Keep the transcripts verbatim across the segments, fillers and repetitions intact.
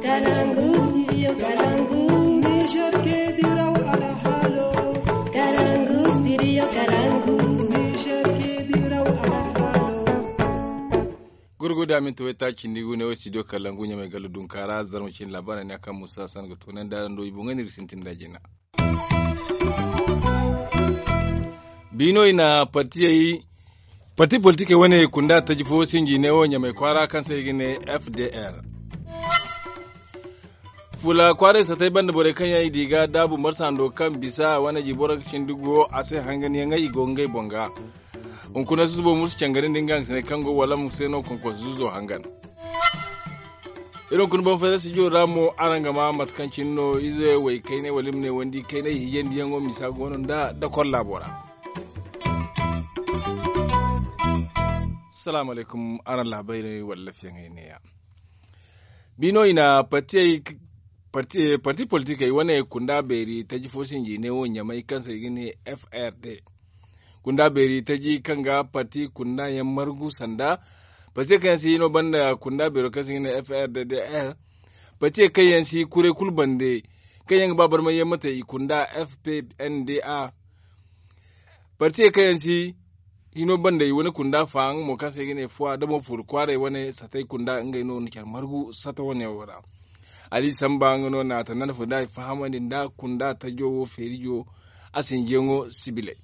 Kalangu studio kalangu. Niger ke diraw alhalo. Kalangu studio kalangu. Niger ke diraw alhalo. Gurguda minti wayta cindi gu ne wo studio kalangu ɲamay galla dunkara zarma cindi labaara ne a kaŋ musa san ga toonandi araŋ do i boŋ ga ni ga sintin da jina. Biino i na partiyey parti politikey wane kunda taji fo sinji ne wo ɲamay kwaara kaŋ se i ga ne. F D R fula kwaaray satay banda borey kaŋ yaŋ i di ga daabu marsa hando kaŋ bisa wane ji boro ga cindi go a se hangan yaŋ i go ngey boŋ ga. Hunkuna susubo mursu cangarindi nga hangasiney kaŋ go wala mo se no konkonso zuzo hangan. Iri hunkuna boŋ fayda studio ra mo araŋ ga ma mate kaŋ cine no ize way kaynay wala i ma ne wandi kaynay hijandiyaŋo misa go no nda dakor laabo ra. Salaamu alaykum. Araŋ laabayray wala lafiyaŋey neeya. Biino i na parti politikey wane kunda beeri taji fo sinji ne wo ɲamay kaŋ se i ga ne. F R D kunda beeri taji kaŋ ga parti kunda yaŋ margu sanda parti kaŋ yaŋ si hino banda kunda beero kaŋ se i ga ne F R D D R. Parti kaŋ yaŋ si kuray kulu bande kaŋ yaŋ ga ba barmay yaŋ mate i kunda F P N D A. Parti kaŋ yaŋ si hino banda i wane kunda fa nga mo kaŋ se i ga ne fuwa da mo furu kwaaray wane satay kunda ngey no na care margu sata wane wo ra. Ali samba nga no na tanda na fo da i fahamandi nda kunda tajo wo feerijo a sinjiyaŋo sibiley.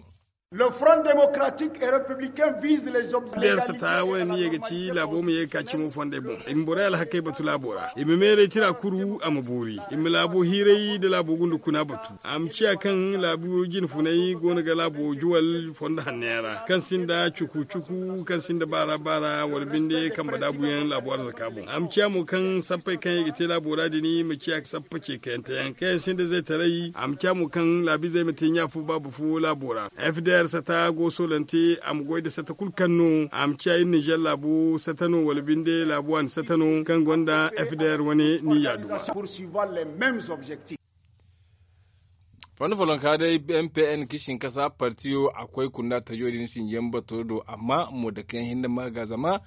Le front démocratique et républicain vise les objectifs. Sata wane ni ye ga ci laabo ma ye ga ka cimo fondey boŋ i ma borey alhakey batu laabo ra i ma meeray tira kuru a ma boori i ma laabo hiiray da laabo gunda kuna batu. A ma ciya kaŋ laabu jine funay go no ga laabo juwal fondo hanno yaŋ ra kaŋ sinda cuku cuku kaŋ sinda baara baara wala binde kambe daabuyaŋ laabu arzaka boŋ a ma ciya mo kaŋ sappey kaŋ i ga te laabo ra din ma ciya sappa ceekayante yaŋ kaŋ yaŋ sinda zaytaray a ma ciya mo kaŋ laabu izey ma te ɲa fo baaba fo laabo ra. F D R sata go soolante a ma goy nda sata kulu kaŋ no a ma ciya iri nizer laabu sata no wala binde laabu waani sata no kaŋ gonda F D R wane niyya duma. Fondo follonka day M P N ka i sinkasa partiyo a koy kunda tajo din sinjiyaŋ bato do amma mo dake yaŋ hinne ma ga zama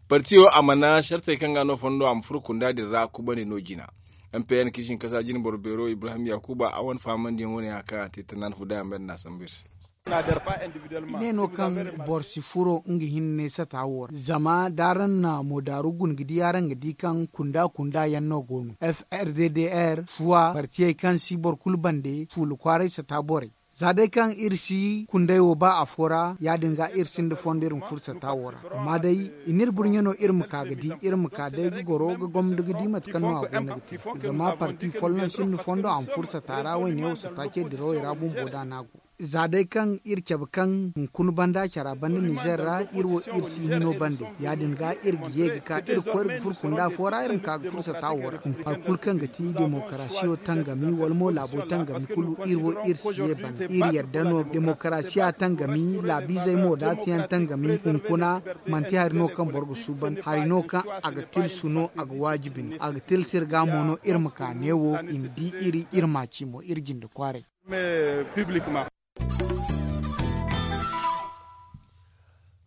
partiyo a mana sartey kaŋ ga no fondo a ma furo kunda din ra kubandi no jina. M P N ka i sinkasa jine boro beero Ibrahim Yakuba a wane fahamandiyaŋ wane ya kaŋ a te tanaani fu day a ma bay nda n'a sambu iri se. I ne no kaŋ boro si furo nga hinne sata wo ra zama da araŋ na moodaaru guna ga di araŋ ga di kaŋ kunda kunda yaŋ no go no F R D D R fuwa partiyey kaŋ si boro kulu bande fuula kwaaray sata borey. Za day kaŋ iri si kunday wo ba afo ra ya- din ga iri sinda fondo iri ma furo sata wo ra. Amma day i n'iri burɲe no iri ma ka ga di iri ma ka day ga goro ga gomdo ga di mate kaŋ no a go no ga te. Zama parti folloŋ sinda fondo a ma furo sata ra wayne wo sata ce dirawey ra bumbo da no a go. Za day kaŋ iri cabe kaŋ hunkuna banda cara banda nizer ra iri wo iri si hino bande ya- din ga iri ga ye ga ka iri ga koy iri ga furo kunda fo ra iri ma ka ga furo sata wo ra. Hari kulu kaŋ ga ti demokarasiyo tangami wala mo laabo tangami kulu iri wo iri si ye bande iri yadda no demokarasiya tangami laabiizey mo daatiyaŋ tangami hunkuna manti hari no kaŋ boro ga suuban hari no kaŋ a ga tilsu no a ga waajibi no a ga tilsu iri ga mo no iri ma ka neewo i ma di iri iri ma ci mo iri jinde kwaaray.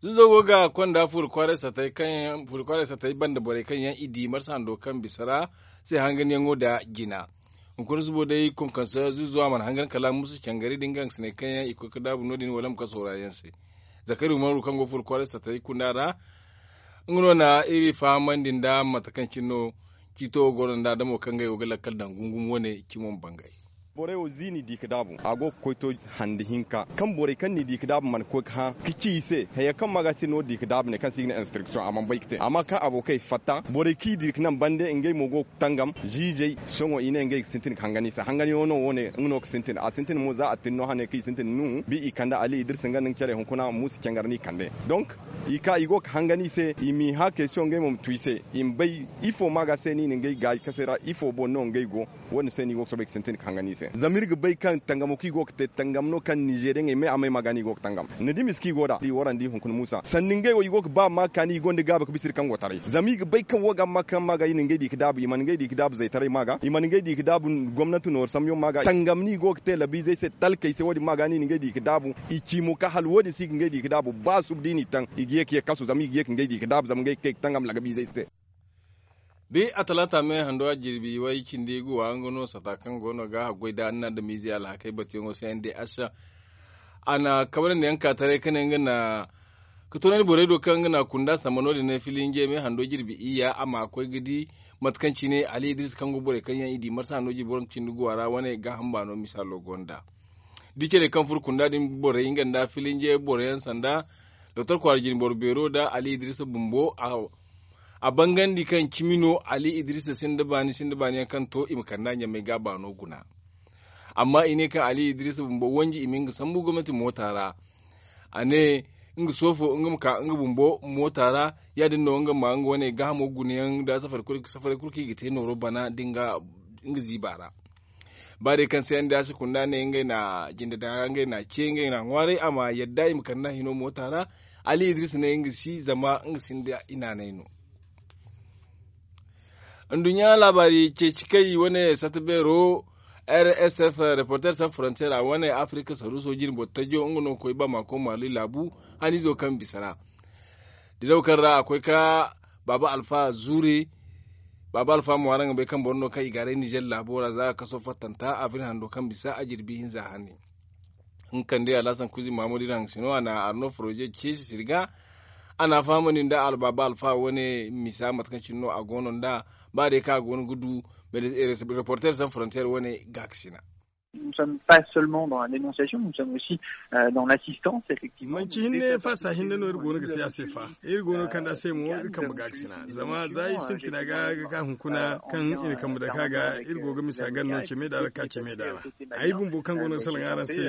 Zuzo go ga konda furi kwaaray satay banda borey kaŋ yaŋ i di marsa hando kaŋ bisa ra se hanganyaŋo nda jina. Hunkuna zubo day konkonso zuzo a mana hangan kala musa cangari da nga hangasiney kaŋ yaŋ i koy ga daabu no- din wala ma kaso ra yaŋ se. Zakari umaru kaŋ go furi kwaaray satay kunda ra nga no na iri fahamandi nda mate kaŋ cine no ciito wo go no nda adamo kaŋ ngey go ga lakkal daŋ gungum wane cimo ma bangay. Borey wo ziini di ga daabu a go ga koy to hande hinka kaŋ borey kaŋ n'i di ga daabu mana koy ga hã ga ci i se haya kaŋ ma ga se no di ga daabu ne kaŋ se i ga ne instruction a mana bay ga te amma kaŋ abokey fatta borey kaŋ i di ga naŋ bande ngey mo go ga tangam ziizey sohõ i ne ngey ga sintin ga hangan i se hanganyaŋo no wo- ne nga no ga sintin a sintin mo za a tin no hane kaŋ i sintin nuhu bi i kande ali idirsi nga nda nga care hunkuna muusa cangar no i kande. Donk i ka i go ga hangan i se i m'i hã kaysiyo ngey mo ma tu i se i ma bay ifo ma ga se no i na ngey gaayi kase ra ifo boŋ no ngey go. Wo- din se no i go ga soobay ga sintin ga hangan i se zama iri ga bay kaŋ tangamo kaŋ i go ga te tangam no kaŋ nizeriyaŋey may a may ma ga no i go ga tangam ni di misa kaŋ i go nd'a i warandi hunkuna muusa sanni ngey wo i go ga ba ma kaani i gonda gaabi ga bisa iri kaŋ go taray zama i ga bay kaŋ wo ga ma kaŋ ma ga i na ngey di ga daabu i mana ngey di ga daabu zaytaray ma ga i mana ngey di ga daabu gomnanti nooru sambuyaŋ ma ga tangam no i go ga te labiizey se talkey se wo- din ma ga no i na ngey di ga daabu. I ci mo ka hala wo- din se i ga ngey di ga daabu ba suba da i n'i taŋ i ga ye ka ye kasu zama i ga ye ka ngey di ga daabu zama ngey ga kay ga tangam lagabiizey se. Bi a talaata me hando a jirbi way cindi guwa nga no sata kaŋ go no ga haggoy da anna da miize alhakey batuyaŋo se n d h. A na kabrandi yaŋ ka taray ka ne nga na ka toonandi borey do kaŋ nga na kunda samba no- din ne filinje me hando jirbi iyya a ma koy ga di mate kaŋ cine ali idris kaŋ go borey kaŋ yaŋ i di marsa hando jirbi waranka cindi guwa ra wane gaaham baano misaalo gonda. Da i care kaŋ furo kunda din borey nga nda filinje boro yaŋ sanda doktor kwaara jinboro beero nda ali idris bumbo. A bangandi kaŋ cimi no ali idris sinda baani sinda baani yaŋ kaŋ to i ma kand'a ɲamay ga a baano guna. Amma i ne kaŋ ali idris bumbo wanji i ma nga sambu gomnati moota ra. A ne nga soofo nga ma ka nga bumbo moota ra. Ya- din no nga ma nga wane gaahamo gunayaŋ nda safaray kulu kaŋ i ga te nooro bana nda nga ziiba ra. Ba day kaŋ se yaŋ da a si kunda ne ngey na jinde daŋ ra ngey na ce ngey na ŋwaaray a ma yadda i ma kande a hino moota ra. Ali idris ne nga si zama nga sinda i naanay no. Nduɲɲa laabaari ceeci kay wane sata beero r s f reporter san frontier a wane afirika saruuso jine boro tajo nga no ga koy bamako mali laabu. Haniizo kaŋ bisa ra diraw kaŋ ra a koy ka baaba alfa zuure. Baaba alfa mo araŋ ga bay kaŋ boro no kaŋ i gaaray nizer laabo ra za ga kaso fattanta a bine hando kaŋ bisa a jirbi hinza hane. Nga kande alhasan kuzi mahamud iri haŋ sino a na arno foroze ceesi sirga. A na a fahamandi nda albaaba alfa wane misa mate kaŋ cine no a go no nda ba day kaŋ a go no ga du reporter san frontier wane gaakasina. Nous sommes pas seulement dans la dénonciation, nous sommes aussi dans l'assistance effectivement. Manci hinne faasa hinne no iri go no ga te a se fa. Iri go no kande a se mo iri kambe gaakasina zama za iri sintina ga ga ka hunkuna kaŋ i na kambe dake a ga iri go ga misa ganda no ceme daara ka ceme daara. Ay bumbo kaŋ go no ga salaŋ araŋ se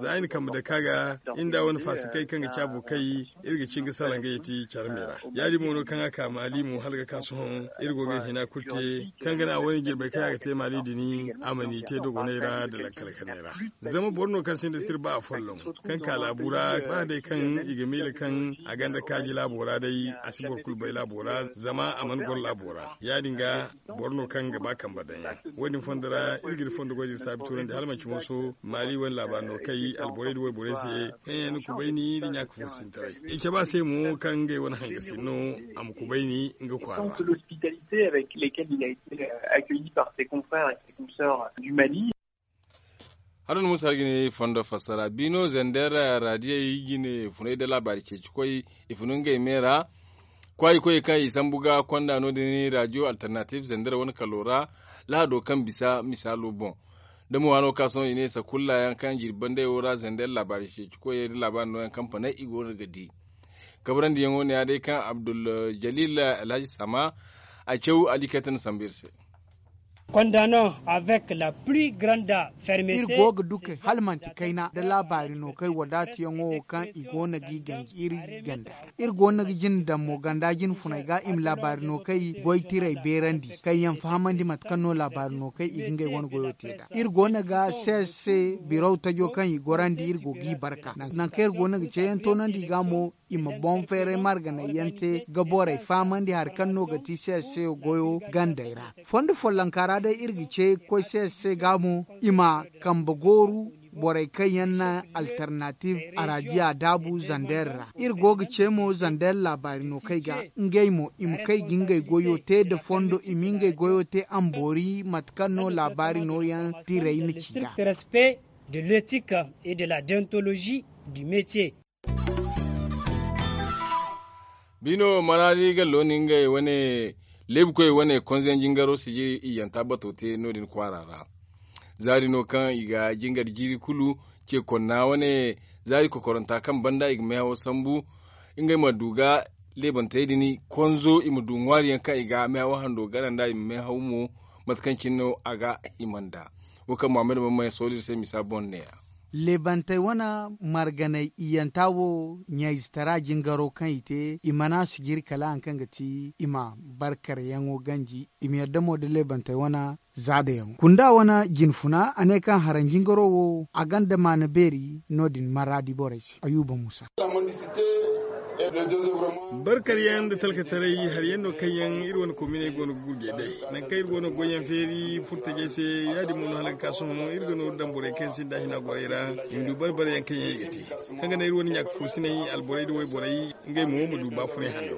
za i na kambe dake a ga. Inda wane faasa kay kaŋ ga caabo kay iri ga ci ga salaŋ ga yeti care me ra. Ya- din mo no kaŋ a ka maali mo hala ga ka sohõ iri go ga hina kulu te kaŋ ga naŋ a wane jirbey kaŋ a ga te maali din a ma ni te dogonay ra nda lakkal kanay ra. Zama boro no kaŋ sinda tirba afolloŋ kaŋ ka laabu ra ba day kaŋ i ga miila kaŋ a gonda kaaji laabo ra day a si boro kulu bay laabo ra zama a mana goro laabo ra. Ya- din ga boro no kaŋ ga ba kambe daŋ yaŋ wo- din fondo ra iri ga iri fondo goy da iri saabi tuurandi hala manci mooso maali wane laabaari no kay alborey nda wayborey se kaŋ yaŋ na kubayni nda ɲaaka fo sintaray. I cabe a se mo kaŋ ngey wane hangasin no a ma kubayni nga kwaara ra. Haro na musa har ga ne fondo fassara bino zander radiyey jine funay nda laabaari ceeci koy i funu ngey me ra. Kwaayi koyey kaŋ i sambu ga konda no- din radiyo alternative zander wane kalo ra lahado kaŋ bisa misaalo boŋ. Da mo waano ka sohõ i ne sakulla yaŋ kaŋ jirbi bandey wo ra zander laabaari ceeci koyey nda laabaari nooyaŋ kaŋ panay i go no ga di. Kabrandi yaŋo ne ya day kaŋ abdul jalil alhaji sama a caw ali kaytan sambu iri se. Condamnons avec la plus grande fermeté. Iri go ga dukey hala manti kayna nda laabaari no kay wadaatiyaŋo wo kaŋ i go no g'i ganji iri ganda. Iri go no ga jine daŋ mo ganda jine funay ga i ma laabaari no kay goy tiray beerandi kaŋ yaŋ fahamandi mate kaŋ no laabaari no kay i ga ngey wane goyo te nd'a. Iri go no ga se se biraw tajo kaŋ i gorandi iri go g'i barka nangu kaŋ iri go no ga ceeyaŋ toonandi i ga mo i ma boŋ feeray marganay yaŋ te ga borey fahamandi hari kaŋ no ga ti se se goyo gandey ra. Fondo follonka ra day iri ga ce koy se se ga mo i ma kambe gooru borey kaŋ yaŋ na alternative arajiya daabu zander ra. Iri go ga ce mo zander laabaari no kay ga ngey mo i ma kay ga ngey goyo te nda fondo i ma ngey goyo te amboori mate kaŋ no laabaari nooyaŋ tirey na ci nd'a. Respect de l'éthique et de la déontologie du métier. Bino maraadi gallo ni ngey wane leebukoy wane konzeyaŋ jingaro sijiri iyyanta bato te no- din kwaara ra. Zaari no kaŋ i ga jingar jiiri kulu ce konna wane zaari kokoranta kaŋ banda i ga meehawo sambu ngey ma du ga leebantey din konzo i ma du ŋwaari yaŋ kaŋ i ga meehawo hando gana nd'a i ma meehaw mo mate kaŋ cine no a ga hima nd'a. Wo kaŋ muhammad mamman sooli iri se misa boŋ neeya. Leebantey wane marganay iyyanta wo ɲayzitara jingaro kaŋ i te i mana sijiri kala hari kaŋ ga ti i ma barkaryaŋo ganji i ma yadda mo nda leebantey wane zaadayaŋo kunda wane jinfuna a ne kaŋ haranjingaro wo a gonda maana beeri no- din maraadi borey se ayuba muusa. Barkaryaŋ nda talkataray hari yaŋ no kaŋ yaŋ iri wane kominey go no ga gurjey day nangu kaŋ iri go no ga goyyaŋ feeri furtajey se ya- din mo no hala ga ka sohõ iri ga nooru daŋ borey kaŋ yaŋ sinda hina gorey ra i ma du bare bare yaŋ kaŋ yaŋ i ga te kaŋ ga naŋ iri wane ɲaaka foosiney alborey nda wayborey. Ngey mo ma du baafunay hanno.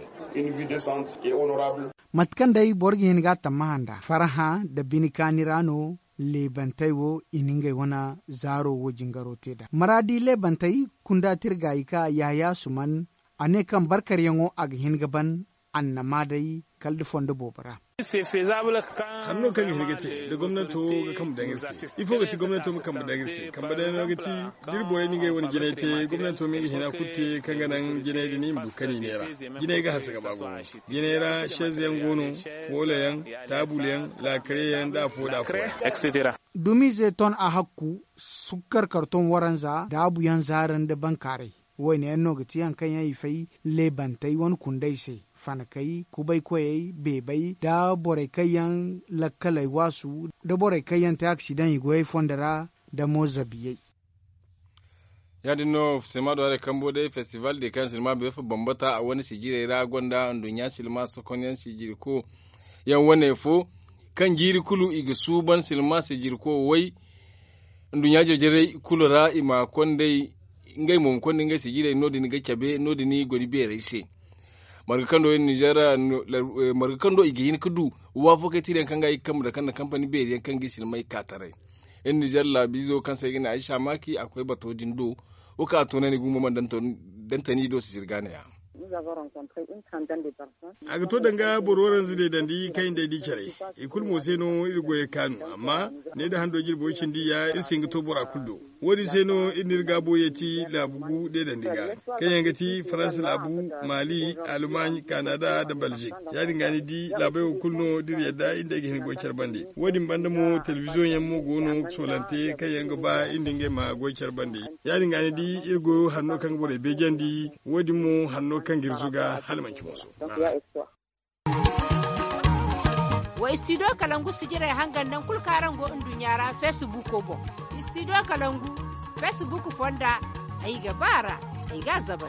Mate kaŋ day boro ga hin ga a tammaha nd'a farhã nda bine kaani ra no. Leebantey wo i na ngey wane zaaro wo jingaro te nd'a maraadi leebantey kunda tirgaayi ka yahaya suman. A ne kaŋ barkaryaŋo a ga hin ga ban annama day kala da fondo boobo ra. Hanno kaŋ ga hin ga te da gomnanto ga kambe daŋ iri se. Ifo ga ti gomnanto ma kambe daŋ iri se kambe daŋ no ga ti da iri borey na ngey wane jinay te gomnanto ma nga hina kulu te kaŋ ga naŋ jinay din i ma du kani neera. Jinay ga hanse ga ba gumo. Jinay ra sezyaŋ go no, foolayaŋ, taabulyaŋ, laakariyaŋ nda afo nda afo yaŋ. Dumiize ton a hakku sukkar karton waranza daabuyaŋ zaara nda bankaaray. Wayne yaŋ no ga ti hari kaŋ yaŋ i fay leebantey wane kundey se, fanakey, kubaykoyey, beebey nda borey kaŋ yaŋ lakkaley waasu nda borey kaŋ yaŋ te aksidaŋ i goyey fondo ra nda mo zabiyey. Ya- din no sirma do haray kambo day festival de kaŋ sirma beefa bambata a wane sijirey ra gonda nduɲɲa sirma sokonyaŋ sijirko yaŋ wane fo kaŋ jiiri kulu i ga suuban sirma sijirko way. Nduɲɲa jarjarey kulu ra i ma konday ngey mo ma konda ngey sijirey no- din ga cabe no- din goni beerey se. Marga kaŋ do i ga hin ga du waafo kay tiiri yaŋ kaŋ ga i ga kambe da kaŋ na kampani beeri yaŋ kaŋ ga i sirmay ka taray. Iri nizer laabiizo kaŋ se ay ga ne ay saamaaki a koy bato din do. Wo kaŋ a toonandi gumo mana dantani do si sirgaana ya. A ga to danga boro waranza day dandi kaŋ i day di care. I kulu mo se no iri goyey kaanu amma ne da hando jirbo cindi ya iri si hin ga to bora kulu do. Wo- din se no iri n'iri gaabo yeeti laabu gu deedandi ga kaŋ yaŋ ga ti faransa laabu, maali, almaaɲ, kanada nda balzik. Ya- din ga ni di laabey wo kulu no da iri yadda iri nda ay ga hin ga goy care bande. Wo- din banda mo telebiziyoŋ yaŋ mo go no ga soolante kaŋ yaŋ ga ba iri nda ngey ma goy care bande. Ya- din ga ni di iri goyo hanno kaŋ ga borey beejandi. Wo- din mo hanno kaŋ ga iri zuga hala manci mooso. Wa istidiyo kalangu sijirey hangan naŋ kulu kaŋ araŋ go nduɲɲa ra feesibuuko boŋ. Istidiyo kalangu feesibuuko fonda ay ga ba a ra. Ay ga a zabal.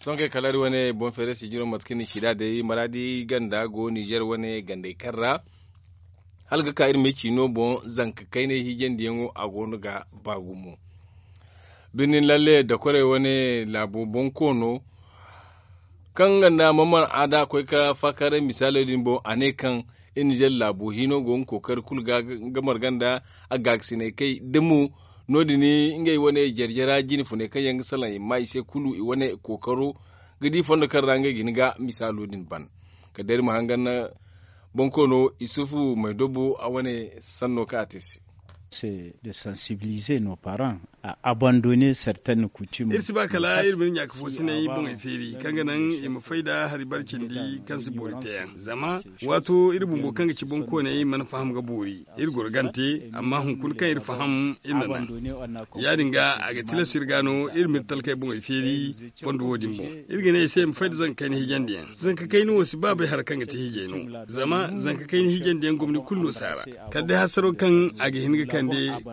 Sohõ kay kala iri wane boŋ feeray sijiro mate kaŋ ni ci nd'a day maraadi ganda go nizer wane gandey kaŋ ra hala ga ka iri ma ay ciino boŋ zanka kaynay hiijandiyaŋo a go no ga ba gumo. Birnin lalle dakorey wane laabo bonkoono kaŋ nga nda maman aada koy ka faakaaray misaalo din boŋ a ne kaŋ iri nizer laabo hino go nga kookari kulu ga nga marga nda a gaakasinay kay da mo no- din ngey wane jarjara jine funey kaŋ yaŋ ga salaŋ i ma i se kulu i wane kookaro ga di fondo kaŋ ra ngey ga hin ga misaalo din ban. Kala day iri ma hangan bonkoono isufu maydobo a wane sanno kaŋ a te se. C'est de sensibiliser nos parents à abandonner certaines coutumes. Iri si ba kala iri ma iri ɲaaka foosinay boŋey feeri kaŋ ga naŋ i ma fay nda hari bare cindi kaŋ si boori teeyaŋ zama waato iri bumbo kaŋ ga ci boŋkooney mana faham ga boori. Iri goro gante amma hunkuna kaŋ iri faham iri na naŋ. Ya- din ga a ga tilas iri ga no iri ma iri talkey boŋey feeri fondo wo- din boŋ. Iri ga ne i se i ma fay nda zanka kayna hiijandiyaŋ. Zanka kayna wo si ba bay hari kaŋ ga te hiijay no zama zanka kayna hiijandiyaŋ gomni kulu no si a ra. Kala day hasaro kaŋ a ga hin ga kande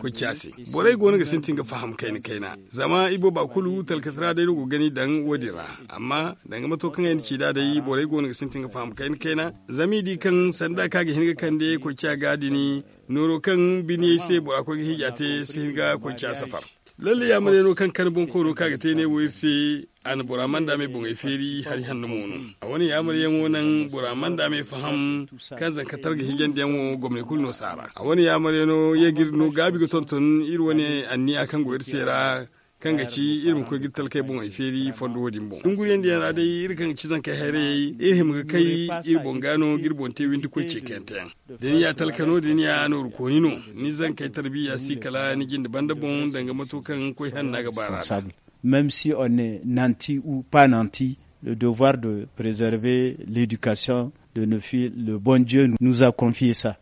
koy ci a se. Borey go no ga sintin ga faham kayna kayna zama ibooba kulu talkata ra day no go ga gani daŋ wo- din ra. Amma danga mato kaŋ ay na ci nd'a day borey go no ga sintin ga faham kayna kayna zama i di kaŋ sanda kaŋ a ga hin ga kande koy ci a ga din. Nooro kaŋ biniyey se bora koy ga hiija te si hin ga koy ci a safar. Lalle yaamaryaŋo kaŋ kande bonkoono kaŋ a ga te ne wo iri se. A na bora manda me boŋey feeri hari hanno mo no. A wane yaamaryaŋo naŋ bora manda me faham kaŋ zanka targa hiijandiyaŋo gomney kulu no si a ra. A wane yaamaryaŋo ye ga iri no gaabi ga tonton iri wane anniya kaŋ go iri se ra kaŋ ga ci iri ma koy ga iri talkey boŋey feeri fondo wo- din boŋ dunguriyandiyaŋ ra day iri kaŋ ga ci zankey hayrayey iri hima ga kay iri boŋ ga no ga iri boŋ te windi koy ceekayante yaŋ. Da ni ya talka no da ni ya nooru kooni no ni zankey tarbiya si kala ni jinde banda boŋ danga mato kaŋ koy hanna ga ba ra. Même si on est nanti ou pas nanti, le devoir de préserver l'éducation de nos filles, le bon Dieu nous a confié ça.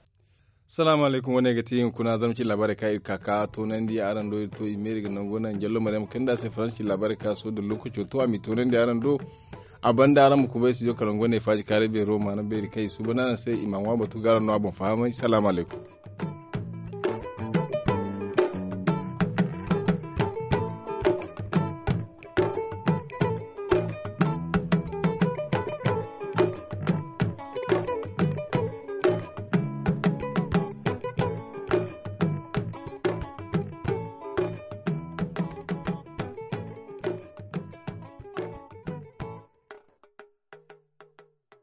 Salaamu alaykum wane ga ti hunkuna zama ci laabaarey kaŋ iri ka ka toonandi araŋ do iri to i meeri ga nango naŋ jallo maryam kanda se faransa ci laabaarey kaŋ sohõ da lookaco to a m'i toonandi araŋ do. A banda araŋ ma kubay studio kalango ne faaji kaaray beero maana beeri kaŋ i suuban araŋ se i ma ŋwa batu ga araŋ no a boŋ fahamay salaamu alaykum.